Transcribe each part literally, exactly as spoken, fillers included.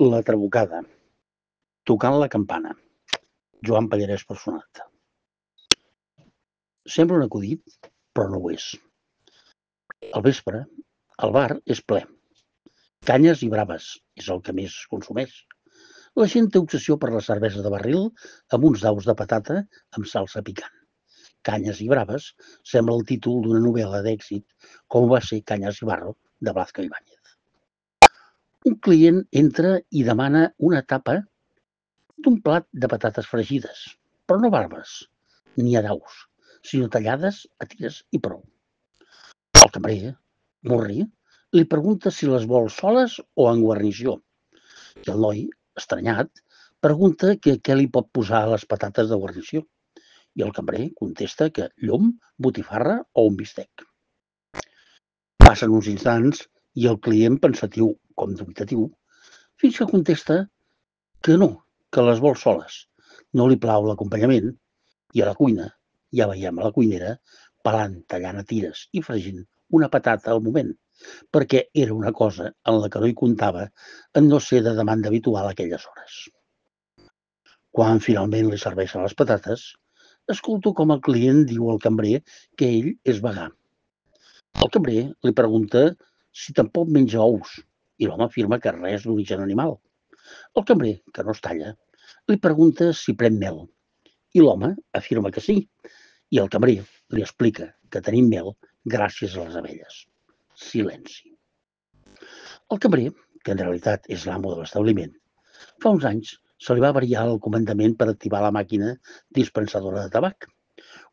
La trabucada. Tocant la campana. Joan Pallarès Personat. Sembla un acudit, però no ho és. Al vespre, el bar és ple. Canyes i braves és el que més es consumeix. La gent té obsessió per la cervesa de barril amb uns daus de patata amb salsa picant. Canyes i braves sembla el títol d'una novel·la d'èxit, com va ser Canyes i barro, de Blázquez Ibáñez. Un client entra i demana una tapa d'un plat de patates fregides, però no barbes, ni a daus, sinó tallades a tires i prou. El cambrer, morri, li pregunta si les vol soles o en guarnició. I el noi, estranyat, pregunta que què li pot posar a les patates de guarnició. I el cambrer contesta que llom, botifarra o un bistec. Passen uns instants i el client, pensatiu com dubtatiu, fins que contesta que no, que les vol soles. No li plau l'acompanyament i a la cuina, ja veiem a la cuinera, pelant, tallant a tires i fregint una patata al moment, perquè era una cosa en la que no hi comptava en no ser de demanda habitual a aquelles hores. Quan finalment li serveixen les patates, escolto com el client diu al cambrer que ell és vegà. El cambrer li pregunta si tampoc menja ous i l'home afirma que res d'origen animal. El cambrer, que no es talla, li pregunta si pren mel i l'home afirma que sí i el cambrer li explica que tenim mel gràcies a les abelles. Silenci. El cambrer, que en realitat és l'amo de l'establiment, fa uns anys se li va variar el comandament per activar la màquina dispensadora de tabac,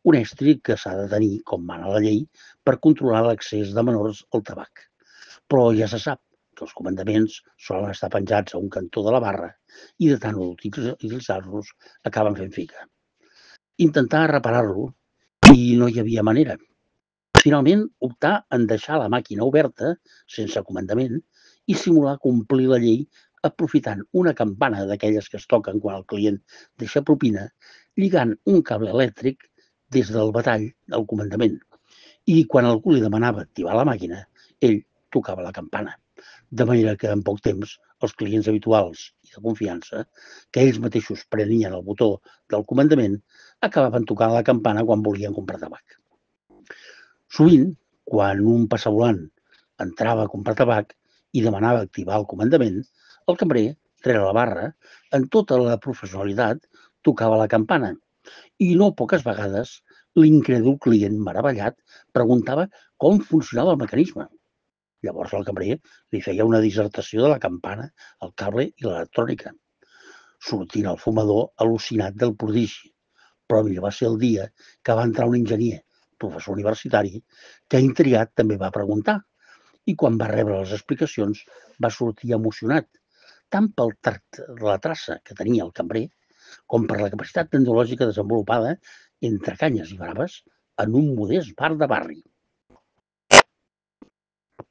un estri que s'ha de tenir, com mana la llei, per controlar l'accés de menors al tabac. Però ja se sap que els comandaments solen estar penjats a un cantó de la barra i de tant utilitzar-los acaben fent figa. Intentar reparar-lo i no hi havia manera. Finalment, optar en deixar la màquina oberta, sense comandament, i simular complir la llei aprofitant una campana d'aquelles que es toquen quan el client deixa propina, lligant un cable elèctric des del batall del comandament. I quan algú li demanava activar la màquina, ell tocava la campana. De manera que en poc temps els clients habituals i de confiança, que ells mateixos prenien el botó del comandament, acabaven tocant la campana quan volien comprar tabac. Sovint, quan un passavolant entrava a comprar tabac i demanava activar el comandament, el cambrer, rere la barra, en tota la professionalitat, tocava la campana i no poques vegades l'incrèdul client meravellat preguntava com funcionava el mecanisme. Llavors el cambrer li feia una dissertació de la campana, el cable i l'electrònica, sortint el fumador al·lucinat del prodigi. Però millor va ser el dia que va entrar un enginyer, professor universitari, que intrigat també va preguntar i quan va rebre les explicacions va sortir emocionat, tant pel tact de la traça que tenia el cambrer com per la capacitat tecnològica desenvolupada entre canyes i braves en un modest bar de barri.